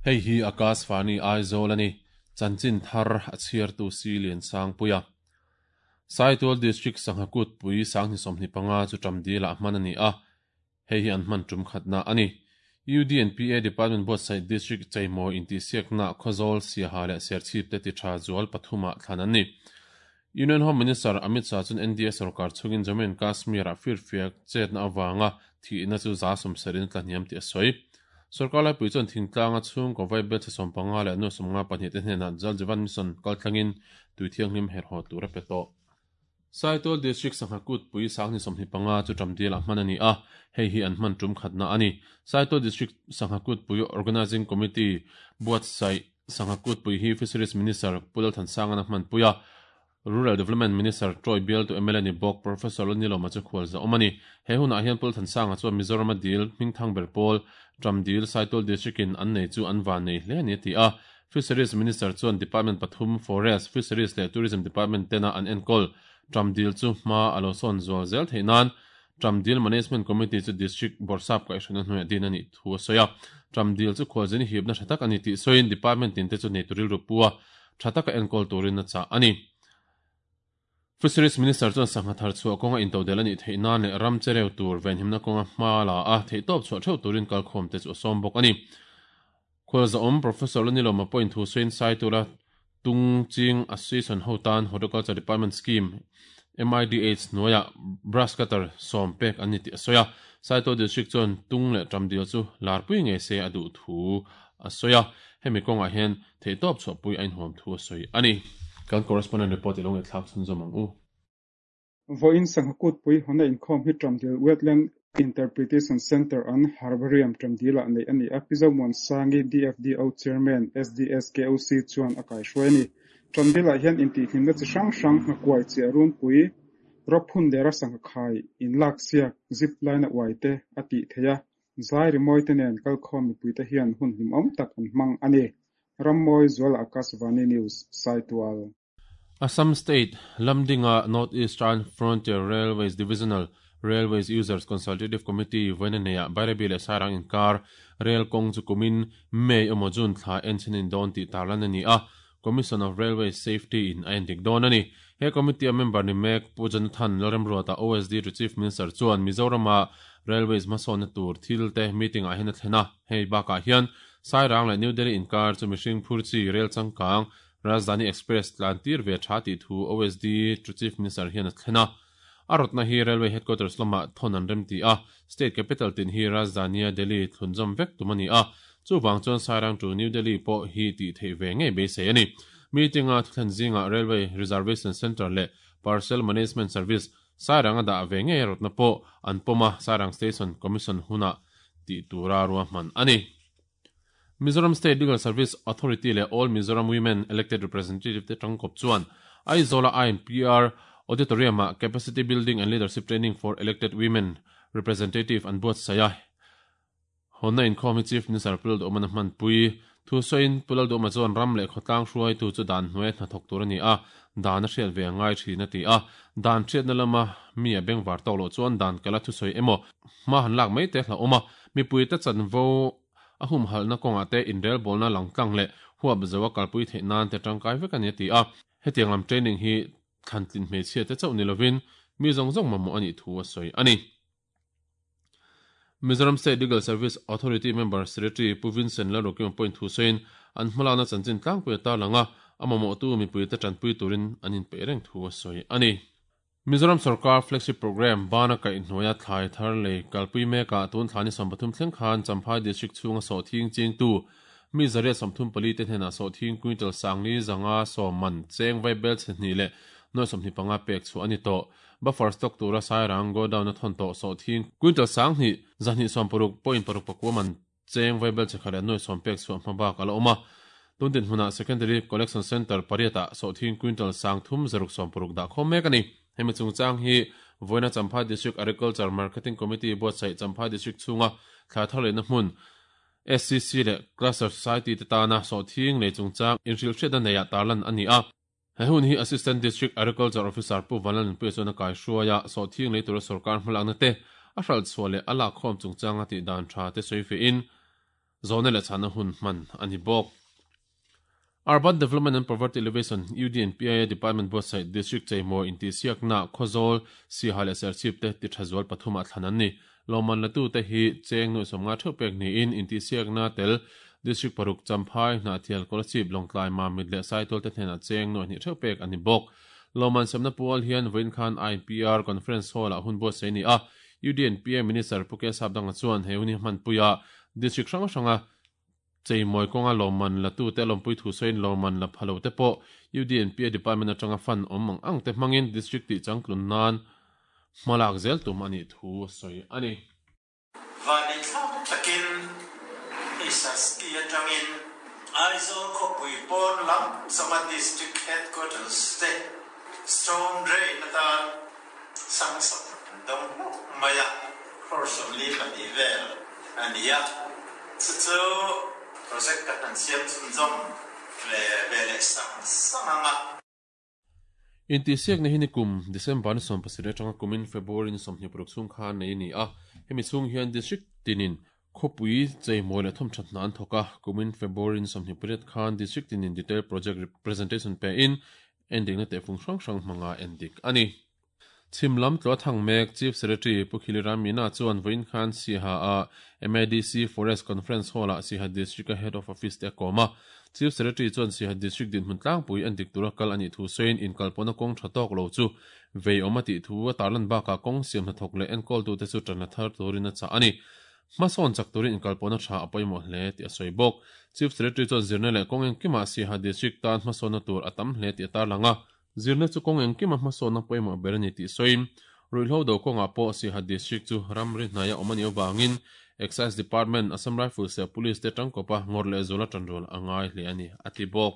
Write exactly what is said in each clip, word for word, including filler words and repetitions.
Hei hi Akashvani Aizawl ani chanchin thar a chhiartu si lian sang puia Saitual District Sanghakut pui sangni sawmhnih panga chu Tamdil ah hman ani a hei hi an hman tum khatna ani U D and P A Department buatsaih District Chaimawi intihsiakna Khawzawl Siaha leh Serchhip te ti tha zual pathum ah thlan an ni Union Home Minister Amit Shah chun N D A sarkar chungin Jammu and Kashmir ah firfiak chetna awanga thihna chu za sawm sarin tlahniam tih a sawi sarkar lai pui chuan thingtlanga chhung ko vai bel che sawm panga leh nu sawmnga pahnih te hnenah Jal Jeevan Mission kalthlangin tui thianghlim herhaw tur a pe tawh Saitual District Sanghakut pui sangni sawmhnih panga chu Tamdil ah hman ani a hei hi an hman tum khatna ani Saitual District Sanghakut pui Organizing Committee buatsaih Sanghakut pui hi Fisheries Minister Pu Lalthansanga an hman puia Rural Development Minister Troy Bial to M L A ni bawk Professor Lalnilawma chu khual za awm ani he hunah hian Pu Lalthansanga chuan Mizoram a dil hmingthang ber pawl Tamdil Saitual District in an nei chu an van nei hle ani ti a Fisheries Minister chuan Department pathum Forest Fisheries leh Tourism Department tena an enkawl Tamdil chu hma alo sawn zual zel theih nan Tamdil Management Committee chu District Borsap kaihhran a hnuaiah din ani thu a sawi a Tamdil chu khualzin hipna tha tak ani tih sawiin Department tin te chu nei turil ru pua tha taka enkawl turin a chah ani Fisheries Minister chuan sangha thar chhuah kawnga intodel ani theih nan leh ram chereu tur venhimna kawnga hma la a theih tawp chhuah theuh turin kalkhawm te chu a sawm bawk ani Khualza awm Professor Lalnilawma point thu sawiin Saituala tung ching Association ho tan Horticulture Department Scheme M I D H hnuaiah brush cutter sawm pek an ni tih a sawi a Saitual District chuan tung leh Tamdil chu larpui nge se a duh thu a sawi a hemi kawngah hian theih tawp chhuah pui a inhuam thu a sawi ani kan correspondent report ilo nge thlak chhun zawm ang u Voin Sanghakut pui hona inkhawm hi Tamdil Wetland Interpretation Center an Herbarium Tamdil ah nei ani a Pizomuan Sangi D F D O Chairman S D S K O C chuan a kai hruai ani Tamdil ah hian intihhlimna chi hrang hrang nghakuai chi a run pui rawphun leh ra sanghakhai in lak siak zip line a uai te a tih thei a zai rimawi te nen kalkhawm mipui te hian hun hlimawm tak an hmang ani Rammawi Zuala Akashvani News Saitual Assam State Lamdinga North Eastern Frontier Railways Divisional Railways Users Consultative Committee voina neia Bairabi leh Sairang inkar rail kawng chu kumin May emaw June thla enchinin dawn tih tarlan ani a Commission of Railway Safety in a endik dawn ani he committee a member ni mek Pu Jonathan Lalremruata O S D to Chief Minister chuan Mizorama Railways hmasawnna tur thil te meeting ah hian a thlen a hei bakah hian Sairang leh New Delhi inkar chu mihring phur chi rail changkang Rajdhani Express tlantir ve tha tih thu O S D to Chief Minister hian a thlen a a rawtna hi Railway Headquarters lama thawn an rem ti a State Capital tin hi Rajdhania Delhi thlunzawm vek tum ani a chuwang chuan Sairang to New Delhi pawh hi tih theih ve ngei beisei ani meeting a thlen zinga Railway Reservation Center leh Parcel Management Service Sairang a dah ve ngei rawtna pawh an pawma Sairang Station Commission huna tih tura ruah hman ani Mizoram State Legal Service Authority le All Mizoram Women Elected Representative te tangkop chuan Aizawl I M P R Auditorium ah Capacity Building and Leadership Training for Elected Women Representative an buat saya honna inkhawm hi Chief Minister Pu Lalduhoma na hman pui thu sawiin Pu Lalduhoma chuan ram leh khawtlang hruai tu chu dan hnuai hnathawk tur ani a dan a hriat ve ngai thin a ti a dan hriatna lama mi a bengvar tawk loh chuan dan kala thu sawi emaw hma han lak mai te hla awm a mipui te chanvo a hum halna kawngah te inrel bawlna langtlang leh huap zo a kalpui theih nan te tangkai vek ani a ti a hetiang lam training hi thlantlin hmeichhia te chauh ni lovin mi zawng zawng mamawh ani thu a sawi ani Mizoram State Legal Service Authority Member Secretary Pu Vincent Lalrokim point thu sawiin an hmalakna chanchin tlangpui a tarlang a a mamawh tu mipui te tanpui turin an inpeih reng thu a sawi ani Mizoram Sarkar Flagship Program bana kaih hnuaia thlai thar lei kalpui mekah tun thlani sawm pathum thleng khan Champhai District chhunga sawh thing ching tu mi zaria sawmthum pali te hnenah sawh thing quintal sangli zanga sawm man cheng vai bel che hnih leh noi sawmhnih panga pek chu ani tawh buffer stock tura Sairang godown a thawn tawh sawh thing quintal sanghnih zahnih sawm paruk point paruk pakua man cheng vai bel che khat leh noi sawm pek chu hma bak ala awm a tuntin hmunah Secondary Collection Center pariat ah sawh thing quintal sang thum zaruk sawm paruk dah khawm mek ani hemi chungchang hi voina Champhai District Agriculture Marketing Committee buatsaih Champhai District chhunga thla thar lehna hmun S C C leh Cluster Society te tana sawh thing lei chungchang inhril hriatna neiah tarlan ani a he hun hi Assistant District Agriculture Officer Pu Vanlan pui chuan a kai hruaia sawh thing lei tura sarkar hmalakna te a hral chhuah leh a lak khawm chungchanga tih dan tha te sawi fe in Zawhna leh chhana hun hman a ni bawk. Urban Development and Poverty Alleviation U D and P I A Department buatsaih District Cheimawi intihsiakna Khawzawl, Siaha leh Serchhip te ti tha zual pathum ah thlan an ni. Lawmman latu te hi cheng nuih sawmnga theuh pek niin intihsiakna tel District paruk Champhai, Hnahthial, Kolasib, Lawngtlai, Mamit leh Saitual te hnenah cheng nuih hnih theuh pek a ni bawk. Lawmman semna pual hian vawiin khan I P R Conference Hall ah hun buatsaih a ni a. U D and P A Minister Pu K Sapdanga chuan he hun hi hmanpui a, District hrang hranga cheimawi kawnga lawmman latu te lawmpui thu sawiin lawmman la phalo te pawh U D and P A Department atanga fund awm ang ang te hmangin District tih changtlun nan hmalak zel tum a nih thu a sawi a ni. Vani thlak takin Isaski atangin Aizawl khawpui pawn lam chama District Headquarters te storm drain atan sanction dawng mai a, crore sawmli pahnih vel a ni a. Chu chu project ka han siam chhunzawm ve ve leh sang sang anga. Intihsiakna hi ni kum December ni sawm pasarih atanga kumin February ni sawmhnih paruk chhung khan nei a ni a. Hemi chhung hian District tinin khawpui cheimawi leh thawmthat hna an thawk a. Kumin February ni sawmhnih pariat khan District tinin detail project presentation pe in endikna tehfung hrang hrang hmanga endik a ni. Chhimlam tlawh thang mek Chief Secretary Pu Khili Ram Meena chuan vawiin khan Siaha a M A D C Forest Conference Hall ah Siaha District a Head of Office te a kawm a. Chief Secretary chuan Siaha District dinhmun tlangpui endik tura kal a nih thu sawiin inkalpawhna kawng tha tawk lo chu vei awm a tih thu a tarlan bakah kawng siam hnathawk leh enkawltu te chu tanna thar turin a chah a ni. Hmasawn chak turin inkalpawhna tha a pawimawh hle tih a sawi bawk. Chief Secretary chuan zirna leh kawng engkimah Siaha District tan hmasawnna tur a tam hle tih a tarlang a. Zirna chu kawng engkima hmasawnna pawimawh ber a ni tih sawiin ruihhlo do kawngah pawh Siaha District chu ramri hnaia awm a nih avangin Excise Department, Assam Rifles leh Police te tangkawpa ngawrh leh zula tanrual a ngai hle a ni a ti bawk.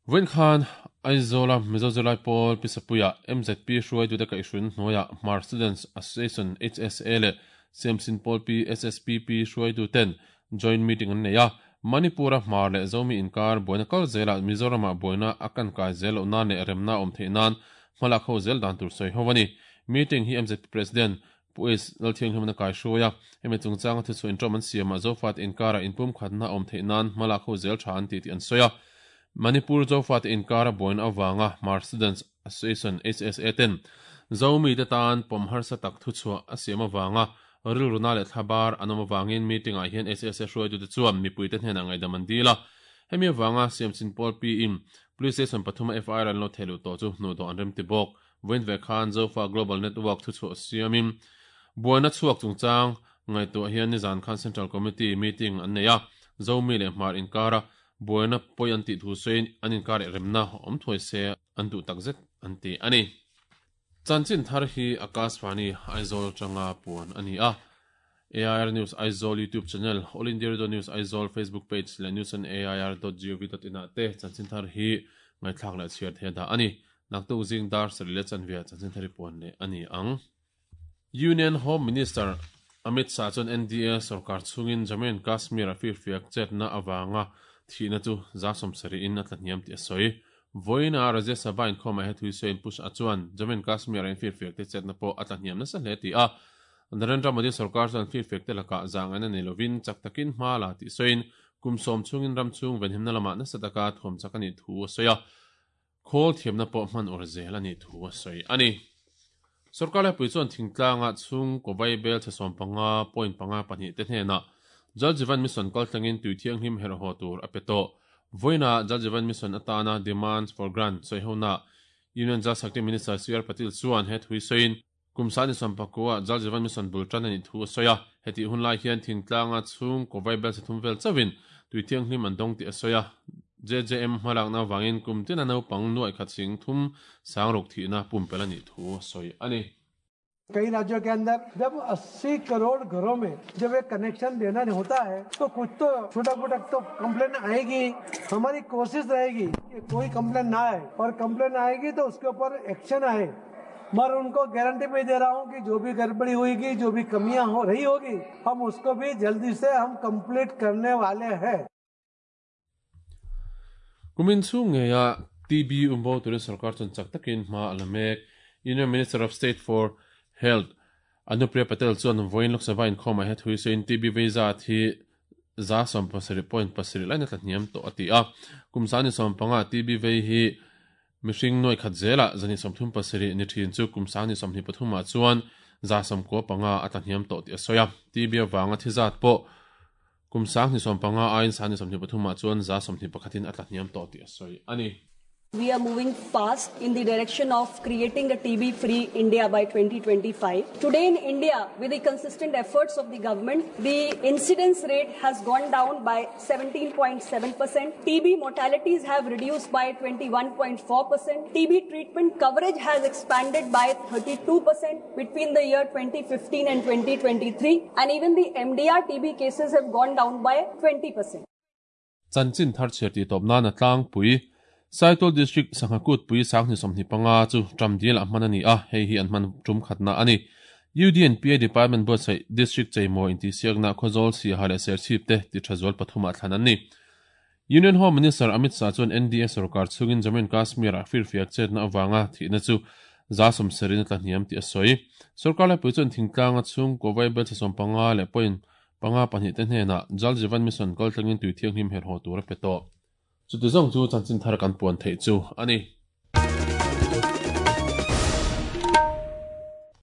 Vawiin khan Aizawla Mizo Zirlai Pawl Pisapuia M Z P hruaitute kaihhruaina hnuaiah Hmar Students Association H S A leh Siamsin Pawl P S S P P hruaituten joint meeting an nei a. Manipura Hmar leh Zomi inkar buaina kal zelah Mizoramah buaina a kan kai zel loh nan leh remna awm theih nan hmalak ho zel dan tur sawi ho a ni. Meeting hi M Z P President Pu Ace Lalthianghlimna kai hruaia. Hemi chungchanga thu chu intawm an siamah Zofate inkara inpum khatna awm theih nan hmalak ho zel tha an ti tih an sawi a. Manipur Zofate inkara buaina awanga Hmar Students Association H S A ten Zomi te tan pawm harsa tak thu chhuah a siam awanga rilruna leh thlabar an awm awangin meeting ah hian H S A hruaitute chuan mipuite hnenah ngaihdam an dil a. Hemi awanga Siamchin Pawl P in Police Station pathuma F I R an lo thehluh tawh chu hnuh dawh an rem ti bawk. Vawiin ve khan Zofa Global Network thu chhuah siamin buaina chhuak chungchang ngaihtuah hian nizan khan Central Committee meeting an nei a. Zomi leh Hmar inkara buaina pawi an tih thu sawiin an inkar remna awm thuai se an duh takzet an ti a ni. Chanchin thar hi Akashvani Aizawl tanga puan a ni a. A I R News Aizawl YouTube channel, All India Radio News Aizawl Facebook page leh news on A I R dot gov dot in ah te chanchin thar hi ngaithlak leh chhiar the dah a ni. Naktuk zing dar sarih leh chanve chanchin thar hi puan leh a ni ang. Union Home Minister Amit Shah chuan N D A sarkar chungin Jammu and Kashmir a firfiak chetna awanga thihna chu za sawmsarih in a tlahniam tih a sawi. Vawiina Rajya Sabha inkhawmah he thui sawiin Pu Shah chuan Jammu and Kashmir a infirfiak te chetna pawh a tlahniam nasa hle ti a. Narendra Modi sarkar chuan firfiak te lakah zang an nei lovin chak takin hma la tih sawiin kum sawm chungin ram chung venhimna lamah nasa taka thuam chak a nih thu a sawi a. Khawl thiamna pawh hman ur zel a nih thu a sawi a ni. Sarkar lepui chuan thingtlanga chung kawbai bel chhe sawm panga point panga pahnih te hnenah Jal Jeevan Mission kal tlangin tui thianghlim herh haw tur a pe tawh. Vawiina Jal Jeevan Mission atana demands for grant sawi hona Union Jal Shakti Minister C R Patil chuan he thui sawiin kum sani sawm pakua Jal Jeevan Mission bul tan a nih thu a sawi a. Heti hun lai hian thingtlanga chung kawbai bel chhe thum vel chawin tui thianghlim an dawng tih a sawi a. J J M hmalakna wangin kum tin a naupang nuai khat sing thum sangruk thihna pumpel a nih thu a sawi a ni. कई राज्यों के अंदर जब अस्सी करोड़ घरों में जब एक कनेक्शन देना होता है, तो कुछ तो छोटा मोटा तो कंप्लेन आएगी। हमारी कोशिश रहेगी कि कोई कंप्लेन ना आए और कंप्लेन आएगी तो उसके ऊपर एक्शन आए। मगर उनको गारंटी भी दे रहा हूँ कि जो भी गड़बड़ी होगी, जो भी कमियां हो रही होगी, हम उसको भी जल्दी से हम कंप्लीट करने वाले हैं। Kumin chu ngeia T B umbo turin sarkar chuan chak takin hma a la mek. Union Minister of State for Health Anupriya Patel chuan vawiin Lok Sabha inkhawmah he thui sawiin T B vei zat hi za sawm pasarih point pasarih laina tlahniam tawh a ti a. Kum sangni sawm panga T B vei hi mihring nuai khat zela zani sawmthum pasarih ni thin chu kum sangni sawmhnih pathumah chuan za sawmkua panga a tlahniam tawh tih a sawi a. T B avanga thi zat pawh kum sangni sawm panga aiin sangni sawmhnih pathumah chuan za sawmhnih pakhatin a tlahniam tawh tih a sawi a ni. We are moving fast in the direction of creating a T B-free India by twenty twenty-five. Today in India, with the consistent efforts of the government, the incidence rate has gone down by seventeen point seven percent. T B mortalities have reduced by twenty-one point four percent. T B treatment coverage has expanded by thirty-two percent between the year twenty fifteen and twenty twenty-three. And even the M D R T B cases have gone down by twenty percent. Chanchin thar chher ti tawp nana tlang pui Saitual District Sanghakut pui sangni sawmhnih panga chu Ṭamdil a hman a ni a, hei hi an hman tum khatna a ni. U D and P A Department buatsaih District cheimaw intihsiakna Khawzawl Siaha leh Serchhip te ti tha zual pathumah thlan an ni. Union Home Minister Amit Shah chuan N D A sarkar chungin Jammu and Kashmir ah firfiak chetna avanga thihna chu za sawm sarin a tlahniam tih a sawi. Sarkar laipui chuan thingtlanga chhung kawai bel sawm panga leh point panga pahnih te hnenah Jal Jeevan Mission kal tlangin tui thianghlim her haw tur a pe tawh. Chu ti zawng chu chanchin thar kan puan theih chu a ni.